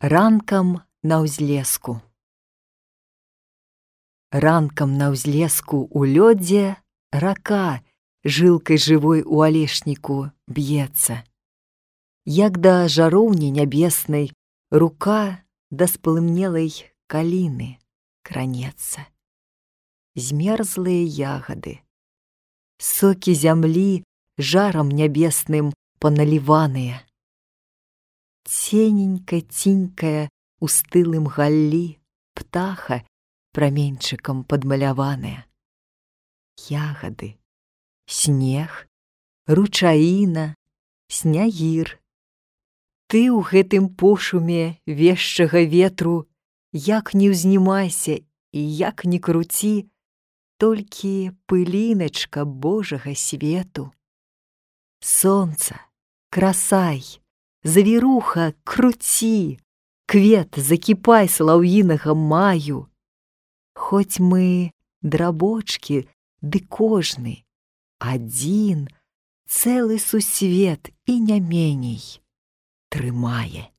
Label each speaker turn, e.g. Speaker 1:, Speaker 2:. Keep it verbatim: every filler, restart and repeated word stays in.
Speaker 1: Ранкам на ўзлеску. Ранкам на ўзлеску у лёдзе рака жылкай жывой у алешніку б'ецца. Як да жароўні нябеснай рука да спалымнелай каліны кранецца. Змерзлыя ягады, сокі зямлі жарам нябесным паналіваныя. Цененька-цінькая у стылым галлі птаха праменьчыкам падмаляваная. Ягады, снег, ручаіна, снягір. Ты ў гэтым пошуме вешчага ветру як не ўзнімайся і як не круці, толькі пыліначка Божага свету. Сонца, красай, завіруха, круці, квет, закіпай салаўінага маю. Хоць мы драбочкі, ды кожны, адзін, цэлы сусвет і не меней трымае.